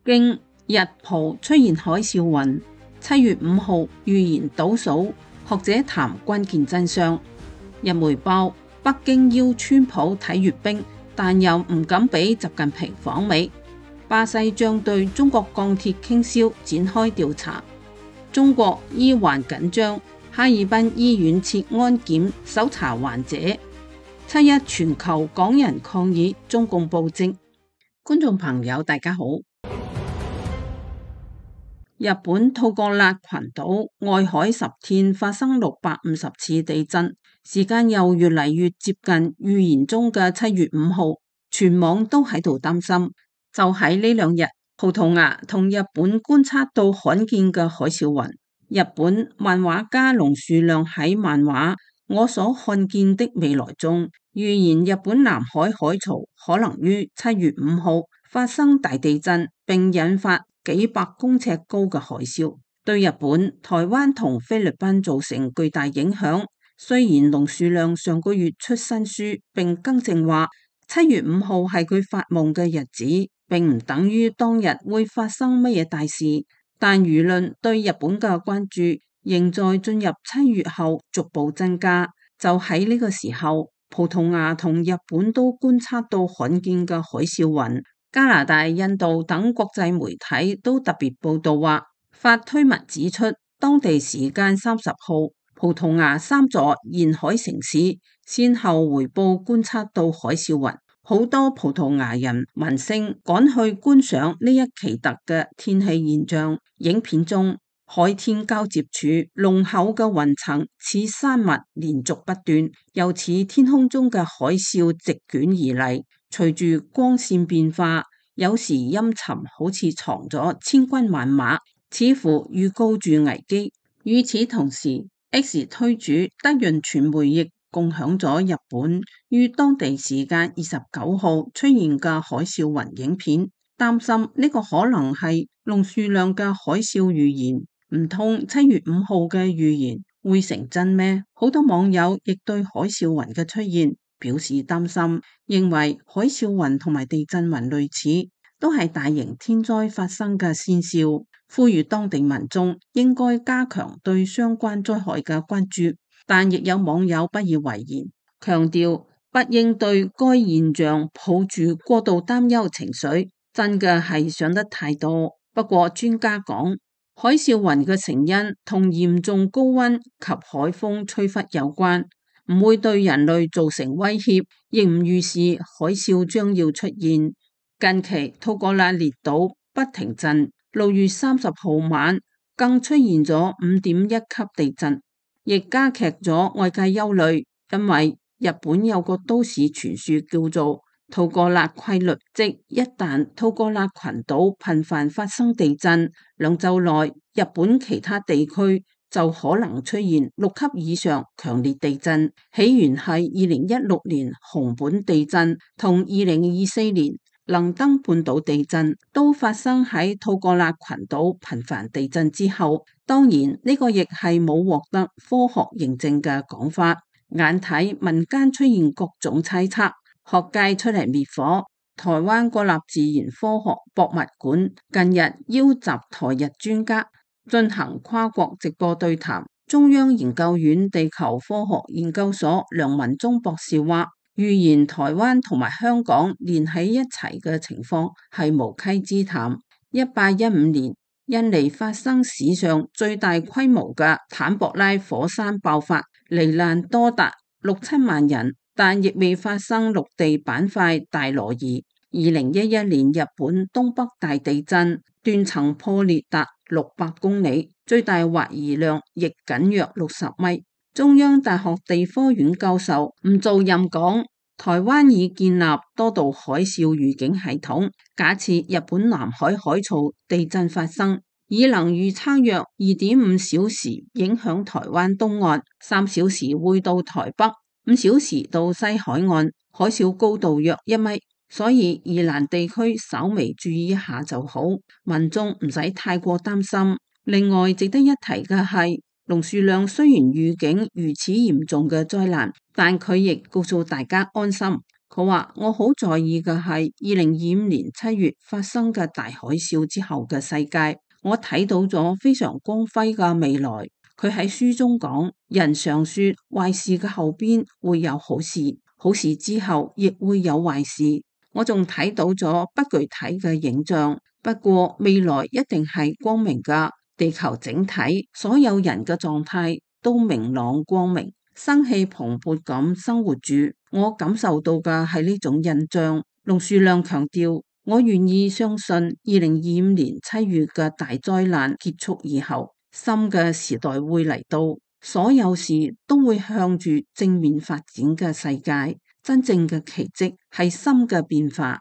經日葡出現海嘯雲，7月5號預言倒數，學者談關鍵真相。日媒報北京邀川普睇閱兵，但又唔敢俾習近平訪美。巴西將對中國鋼鐵傾銷展開調查。中國醫患緊張，哈爾濱醫院設安檢搜查患者。7·1全球港人抗議中共暴政。觀眾朋友大家好。日本吐過辣群島外海10天發生650次地震，時間又越嚟越接近預言中嘅7月5號，全網都喺度擔心。就喺呢2日，葡萄牙同日本觀察到罕見嘅海嘯雲。日本漫畫家龍樹亮喺漫畫《我所看見的未來》中預言日本南海海槽可能於7月5號發生大地震，並引發幾百公尺高嘅海嘯，對日本、台灣同菲律賓造成巨大影響。雖然龍樹亮上個月出新書並更正話7月5號係佢發夢嘅日子，並唔等於當日會發生乜嘢大事，但輿論對日本嘅關注仍在進入7月後逐步增加。就喺呢個時候，葡萄牙同日本都觀察到罕見嘅海嘯雲。加拿大、印度等國際媒體都特別報道話，發推文指出，當地時間30號，葡萄牙3座沿海城市先後回報觀察到海嘯雲，好多葡萄牙人民星趕去觀賞呢一奇特嘅天氣現象。影片中，海天交接處濃厚嘅雲層似山脈連續不斷，又似天空中嘅海嘯席捲而嚟。隨住光線變化，有時陰沉，好似藏咗千軍萬馬，似乎預告住危機。與此同時， X 推主德潤傳媒亦共享咗日本於當地時間29號出現嘅海嘯雲影片，擔心呢個可能係龍樹亮嘅海嘯預言。唔通7月5號嘅預言會成真咩？好多網友亦對海嘯雲嘅出現表示擔心，認為海嘯雲同埋地震雲類似，都係大型天災發生嘅先兆，呼籲當地民眾應該加強對相關災害嘅關注。但亦有網友不以為然，強調不應對該現象抱住過度擔憂情緒，真嘅係想得太多。不過專家講，海嘯雲嘅成因同嚴重高溫及海風吹拂有關，唔會對人類造成威脅，亦唔預示海嘯將要出現。近期吐過辣列島不停震，6月30號晚更出現咗5.1級地震，亦加劇咗外界憂慮，因為日本有個都市傳說叫做吐過辣規律，即一旦吐過辣群島頻繁發生地震，2週內日本其他地區就可能出現6級以上強烈地震。起源係2016年熊本地震同2024年能登半島地震，都發生喺吐過辣群島頻繁地震之後。當然呢個亦係冇獲得科學認證嘅講法。眼睇民間出現各種猜測，學界出嚟滅火。台灣國立自然科學博物館近日邀集台日專家進行跨國直播對談。中央研究院地球科學研究所梁文忠博士話，預言台灣同埋香港連喺一齊嘅情況係無稽之談。1815年，印尼發生史上最大規模嘅坦博拉火山爆發，罹難多達6-7萬人，但亦未發生陸地板塊大挪移。2011年日本東北大地震，斷層破裂達600公里，最大滑移量亦僅約60米。中央大學地科院教授吳兆任講，台灣已建立多道海嘯預警系統，假設日本南海海槽地震發生，已能預測約2.5小時影響台灣東岸，3小時會到台北，5小時到西海岸，海嘯高度約1米，所以宜蘭地區稍微注意一下就好，民眾唔使太過擔心。另外值得一提嘅係，龍樹亮雖然預警如此嚴重嘅災難，但佢亦告訴大家安心，佢話：我好在意嘅係2025年7月發生嘅大海嘯之後嘅世界，我睇到咗非常光輝嘅未來。佢喺書中講：人常說壞事嘅後邊會有好事，好事之後亦會有壞事。我仲睇到咗不具體嘅影像，不過未來一定係光明㗎。地球整體所有人嘅狀態都明朗光明，生氣蓬勃咁生活住。我感受到嘅係呢種印象。龍樹亮強調：我願意相信2025年7月嘅大災難結束以後，新嘅時代會嚟到，所有事都會向住正面發展嘅世界。真正嘅奇蹟係新嘅變化。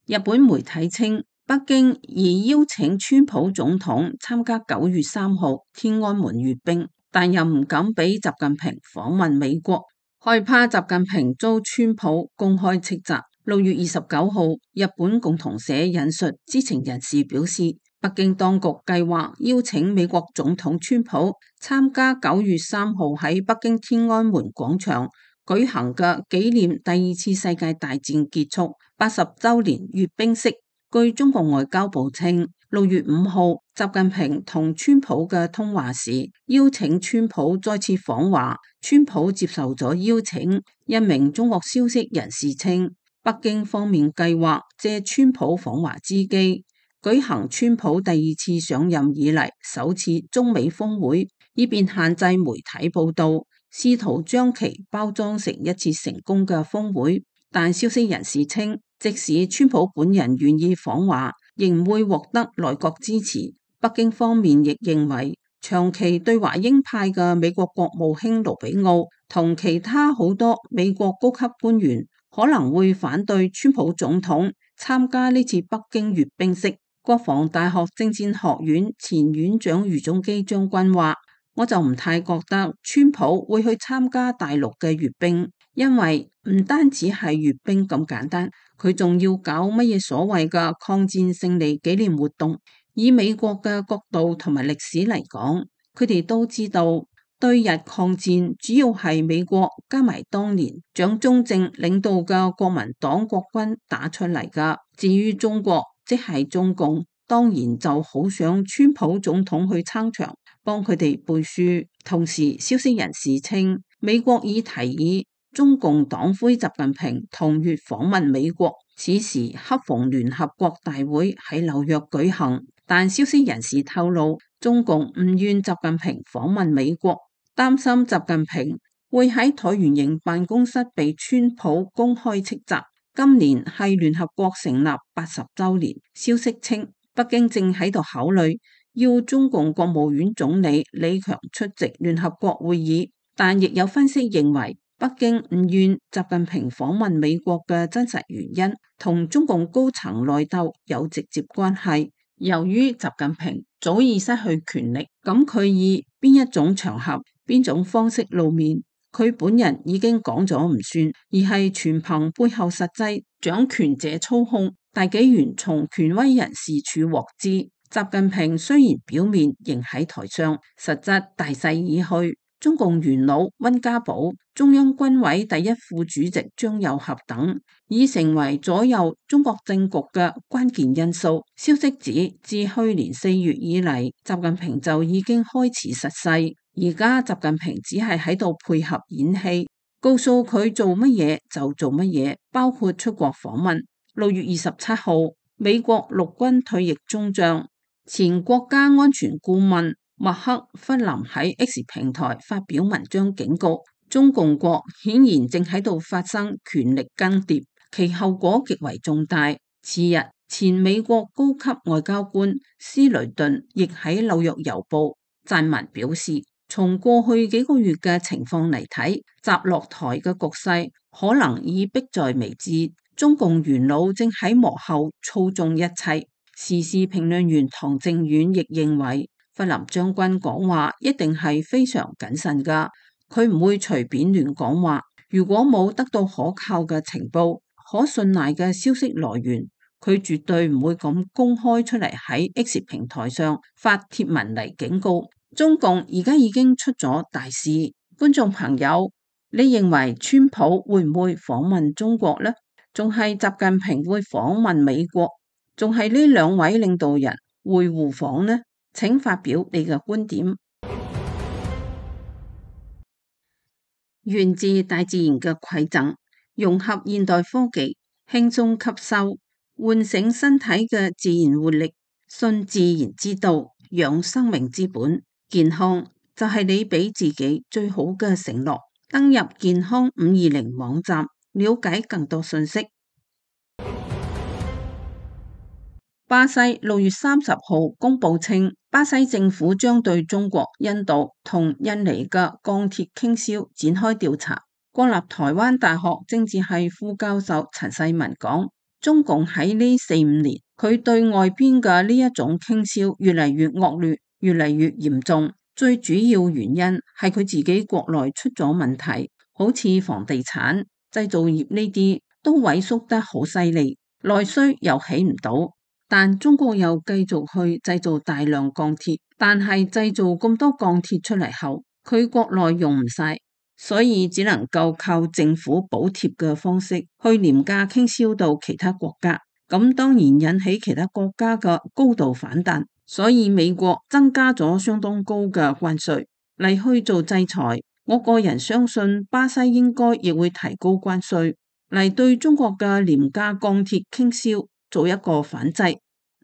日本媒體稱，北京已邀請川普總統參加9月3號天安門閱兵，但又唔敢俾習近平訪問美國，害怕習近平遭川普公開斥責。6月29號，日本共同社引述知情人士表示，北京當局計劃邀請美國總統川普參加9月3號喺北京天安門廣場舉行嘅紀念第2次世界大戰結束80週年閱兵式。據中國外交部稱，6月5號，習近平同川普嘅通話時，邀請川普再次訪華，川普接受咗邀請。一名中國消息人士稱，北京方面計劃借川普訪華之機，舉行川普第2次上任以嚟首次中美峰會，以便限制媒體報道，試圖將其包裝成一次成功嘅峰會。但消息人士稱，即使川普本人願意訪華，仍會獲得內閣支持。北京方面亦認為，長期對華鷹派嘅美國國務卿盧比奧同其他好多美國高級官員可能會反對川普總統參加呢次北京閱兵式。國防大學政戰學院前院長余宗基將軍話：我就唔太覺得川普會去參加大陸嘅閱兵，因為唔單止係閱兵咁簡單，佢仲要搞乜嘢所謂嘅抗戰勝利紀念活動。以美國嘅角度同埋歷史嚟講，佢哋都知道對日抗戰主要係美國加埋當年蔣中正領導嘅國民黨國軍打出嚟㗎。至於中國，即係中共，當然就好想川普總統去撐場，幫佢哋背書。同時，消息人士稱，美國已提議中共黨魁習近平同月訪問美國，此時恰逢聯合國大會喺紐約舉行。但消息人士透露，中共唔願習近平訪問美國，擔心習近平會喺橢圓形辦公室被川普公開斥責。今年係聯合國成立80週年，消息稱北京正喺度考慮要中共國務院總理李強出席聯合國會議，但亦有分析認為，北京唔願習近平訪問美國嘅真實原因同中共高層內鬥有直接關係。由於習近平早已失去權力，咁佢以邊一種場合、邊種方式露面，佢本人已經講咗唔算，而係全憑背後實際掌權者操控。大紀元從權威人士處獲知，習近平雖然表面仍喺台上，實質大勢已去。中共元老溫家寶、中央軍委第一副主席張又俠等，已成為左右中國政局嘅關鍵因素。消息指，自去年4月以嚟，習近平就已經開始失勢。而家習近平只係喺度配合演戲，告訴佢做乜嘢就做乜嘢，包括出國訪問。6月27號，美國陸軍退役中將、前國家安全顧問麥克弗林喺 X 平台發表文章警告，中共國顯然正喺度發生權力更迭，其後果極為重大。次日，前美國高級外交官斯雷頓亦喺紐約郵報撰文表示，從過去幾個月嘅情況嚟睇，習落台嘅局勢可能已迫在眉睫，中共元老正喺幕後操縱一切。時事評論員唐正遠亦認為，弗林將軍講話一定係非常謹慎㗎，佢唔會隨便亂講話。如果冇得到可靠嘅情報、可信賴嘅消息來源，佢絕對唔會咁公開出嚟喺 X 平台上發帖文嚟警告。中共而家已經出咗大事，觀眾朋友，你認為川普會唔會訪問中國呢？仲係習近平會訪問美國？仲係呢兩位領導人會互訪呢？請發表你嘅觀點。源自大自然嘅饋贈，融合現代科技，輕鬆吸收，喚醒身體嘅自然活力，信自然之道，養生命之本。健康就係你俾自己最好嘅承諾。登入健康520網站，了解更多信息。巴西6月30號公佈稱，巴西政府將對中國、印度同印尼嘅鋼鐵傾銷展開調查。國立台灣大學政治系副教授陳世文講，中共喺呢4-5年，佢對外邊嘅呢一種傾銷越嚟越惡劣，越嚟越嚴重。最主要原因係佢自己國內出咗問題，好似房地產、製造業呢啲都萎縮得好犀利，內需又起唔到。但中國又繼續去製造大量鋼鐵，但係製造咁多鋼鐵出嚟後，佢國內用唔晒，所以只能夠靠政府補貼嘅方式去廉價傾銷到其他國家。咁當然引起其他國家嘅高度反彈，所以美國增加咗相當高嘅關稅嚟去做制裁。我個人相信巴西應該亦會提高關稅嚟對中國嘅廉價鋼鐵傾銷做一個反制。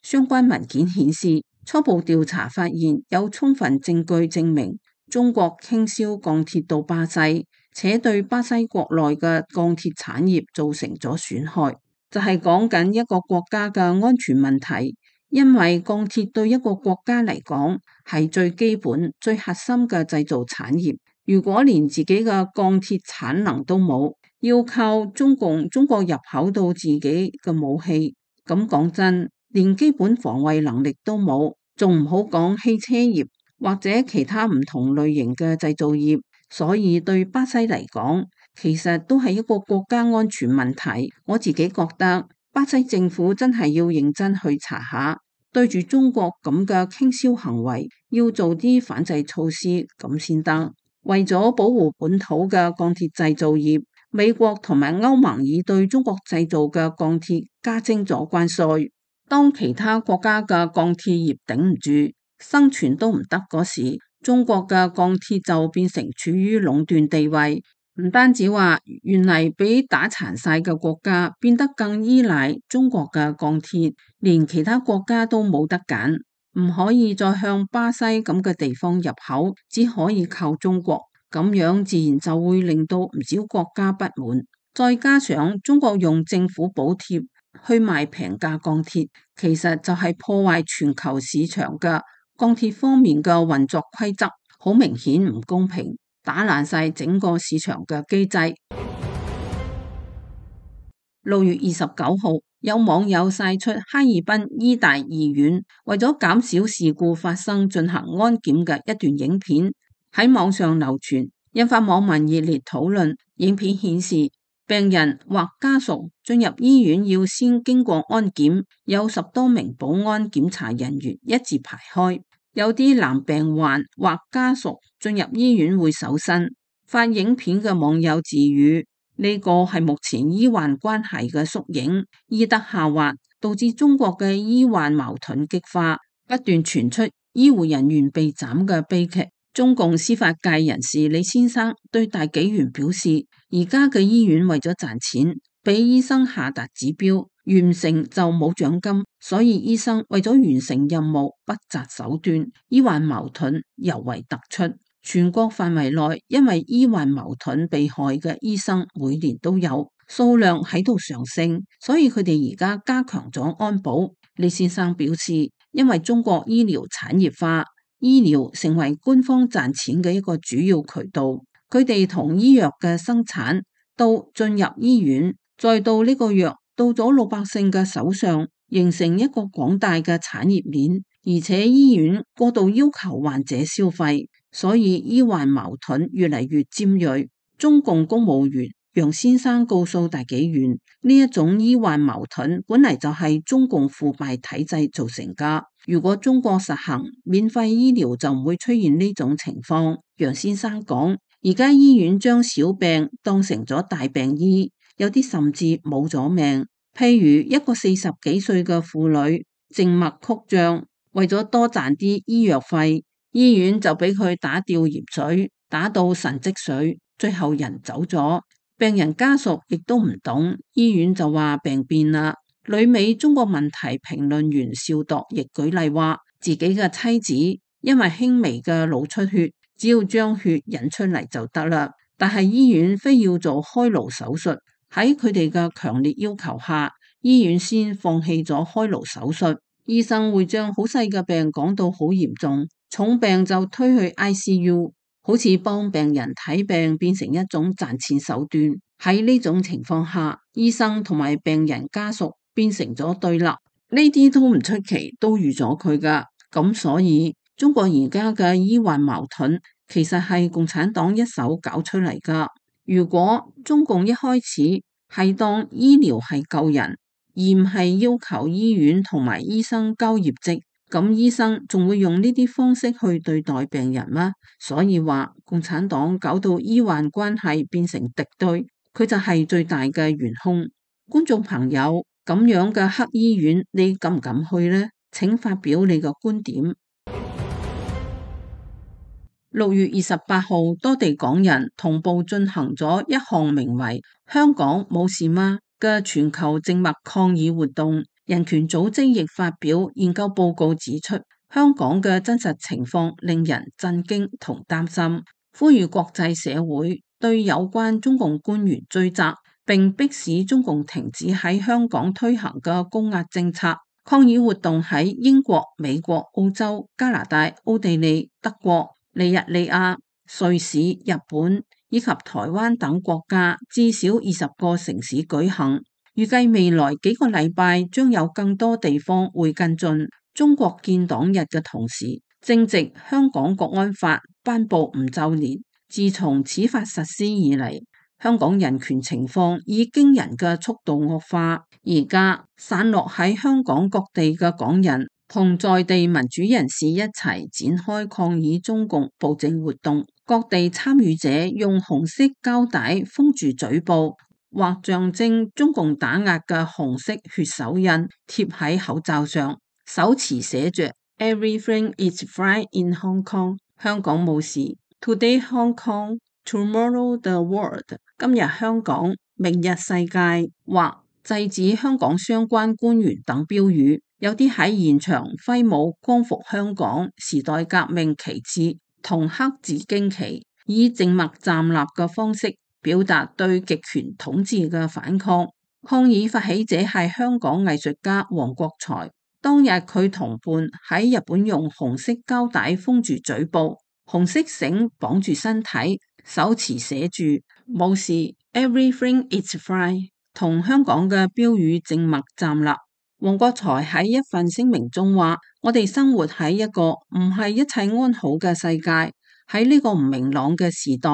相關文件顯示，初步調查發現有充分證據證明中國傾銷鋼鐵到巴西，且對巴西國內嘅鋼鐵產業造成咗損害，就係講緊一個國家嘅安全問題。因為鋼鐵對一個國家嚟講係最基本、最核心嘅製造產業，如果連自己嘅鋼鐵產能都冇，要靠中國入口到自己嘅武器，咁講真，連基本防衛能力都冇，仲唔好講汽車業或者其他唔同類型嘅製造業。所以對巴西嚟講，其實都係一個國家安全問題。我自己覺得巴西政府真係要認真去查下，對住中國咁嘅傾銷行為，要做啲反制措施咁先得。為咗保護本土嘅鋼鐵製造業，美國同埋歐盟已對中國製造嘅鋼鐵加徵咗關稅。當其他國家嘅鋼鐵業頂唔住，生存都唔得嗰時，中國嘅鋼鐵就變成處於壟斷地位。唔單止話原嚟俾打殘晒嘅國家變得更依賴中國嘅鋼鐵，連其他國家都冇得揀，唔可以再向巴西咁嘅地方入口，只可以靠中國。咁樣自然就會令到唔少國家不滿。再加上中國用政府補貼去賣平價鋼鐵，其實就係破壞全球市場嘅鋼鐵方面嘅運作規則，好明顯唔公平，打爛晒整個市場嘅機制。6月29號，有網友晒出哈爾濱醫大醫院為咗減少事故發生進行安檢嘅一段影片喺網上流傳，引發網民熱烈討論。影片顯示，病人或家屬進入醫院要先經過安檢，有10多名保安檢查人員一字排開。有啲男病患或家屬進入醫院會搜身。發影片嘅網友自語，呢個係目前醫患關係嘅縮影，醫德下滑，導致中國嘅醫患矛盾激化，不斷傳出醫護人員被斬嘅悲劇。中共司法界人士李先生對大紀元表示，而家嘅醫院為咗賺錢，俾醫生下達指標，完成就冇獎金，所以醫生為咗完成任務不擇手段，醫患矛盾尤為突出。全國範圍內因為醫患矛盾被害嘅醫生每年都有，數量喺度上升，所以佢哋而家加強咗安保。李先生表示，因為中國醫療產業化，醫療成為官方賺錢嘅一個主要渠道，佢哋從醫藥嘅生產到進入醫院，再到呢個藥到咗老百姓嘅手上，形成一個廣大嘅產業鏈，而且醫院過度要求患者消費，所以醫患矛盾越嚟越尖銳。中共公務員楊先生告訴大紀元，呢一種醫患矛盾本嚟就係中共腐敗體制造成噶。如果中國實行免費醫療，就唔會出現呢種情況。楊先生講，而家醫院將小病當成咗大病醫，有啲甚至冇咗命。譬如一個40幾歲嘅婦女靜脈曲張，為咗多賺啲醫藥費，醫院就俾佢打吊鹽水，打到腎積水，最後人走咗。病人家屬亦都唔懂，醫院就話病變啦。旅美中國問題評論員邵度亦舉例話，自己嘅妻子因為輕微嘅腦出血，只要將血引出嚟就得啦，但係醫院非要做開顱手術，喺佢哋嘅強烈要求下，醫院先放棄咗開顱手術。醫生會將好細嘅病講到好嚴重，重病就推去 ICU， 好似幫病人睇病變成一種賺錢手段。喺呢種情況下，醫生同埋病人家屬變成咗對立，呢啲都唔出奇，都預咗佢噶。咁所以中國而家嘅醫患矛盾，其實係共產黨一手搞出嚟噶。如果中共一開始係當醫療係救人，而唔係要求醫院同埋醫生交業績，咁醫生仲會用呢啲方式去對待病人嗎？所以話共產黨搞到醫患關係變成敵對，佢就係最大嘅元兇。觀眾朋友，咁樣嘅黑醫院，你敢唔敢去呢？請發表你嘅觀點。6月28號，多地港人同步進行咗一項名為《香港冇事嗎》嘅全球靜默抗議活動。人權組織亦發表研究報告指出，香港嘅真實情況令人震驚同擔心，呼籲國際社會對有關中共官員追責，並迫使中共停止喺香港推行嘅高壓政策。抗議活動喺英國、美國、澳洲、加拿大、奧地利、德國、尼日利亞、瑞士、日本以及台灣等國家至少20個城市舉行。預計未來幾個禮拜將有更多地方會跟進。中國建黨日嘅同時，正值香港國安法頒布5週年。自從此法實施以嚟，香港人權情況以驚人嘅速度惡化。而家散落喺香港各地嘅港人同在地民主人士一齊展開抗議中共暴政活動，各地參與者用紅色膠帶封住嘴部，或象徵中共打壓嘅紅色血手印貼喺口罩上，手持寫着 Everything is fine in Hong Kong， 香港冇事。Today Hong Kong, tomorrow the world， 今日香港，明日世界，或制止香港相關官員等標語。有啲喺現場揮舞光復香港時代革命旗幟同黑字荊旗，以靜默站立嘅方式表達對極權統治嘅反抗。抗議發起者係香港藝術家黃國財，當日佢同伴喺日本用紅色膠帶封住嘴部，紅色繩綁住身體，手持寫住冇事 Everything is fine， 同香港嘅標語靜默站立。黃國財喺一份聲明中話：我哋生活喺一個唔係一切安好嘅世界，喺呢個唔明朗嘅時代，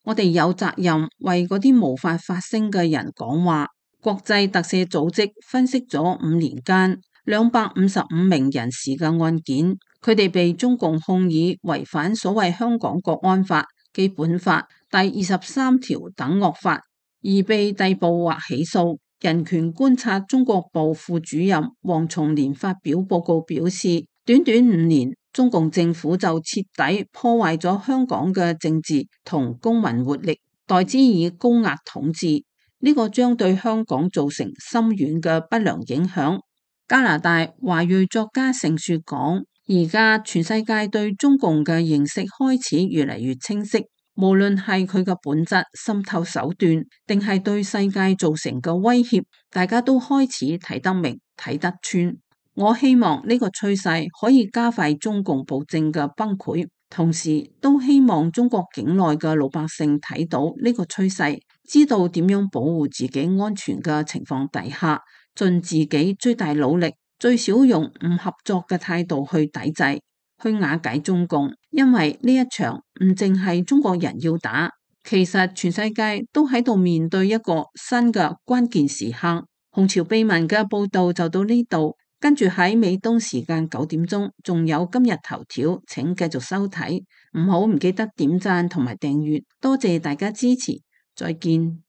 我哋有責任為嗰啲無法發聲嘅人講話。國際特赦組織分析咗5年間255名人士嘅案件，佢哋被中共控以違反所謂香港國安法、基本法第23條等惡法，而被逮捕或起訴。人權觀察中國部副主任黃松年發表報告表示，短短5年，中共政府就徹底破壞咗香港嘅政治同公民活力，代之以高壓統治，呢個將對香港造成深遠嘅不良影響。加拿大華裔作家盛雪講，而家全世界對中共嘅認識開始越嚟越清晰。無論係佢嘅本質、滲透手段，定係對世界造成嘅威脅，大家都開始睇得明、睇得穿。我希望呢個趨勢可以加快中共暴政嘅崩潰，同時都希望中國境內嘅老百姓睇到呢個趨勢，知道點樣保護自己安全嘅情況底下，盡自己最大努力，最少用唔合作嘅態度去抵制，去瓦解中共。因為呢一場唔淨係中國人要打，其實全世界都喺度面對一個新嘅關鍵時刻。紅潮秘聞嘅報道就到呢度，跟住喺美東時間9點鐘，仲有今日頭條，請繼續收睇，唔記得點讚同埋訂閱，多謝大家支持，再見。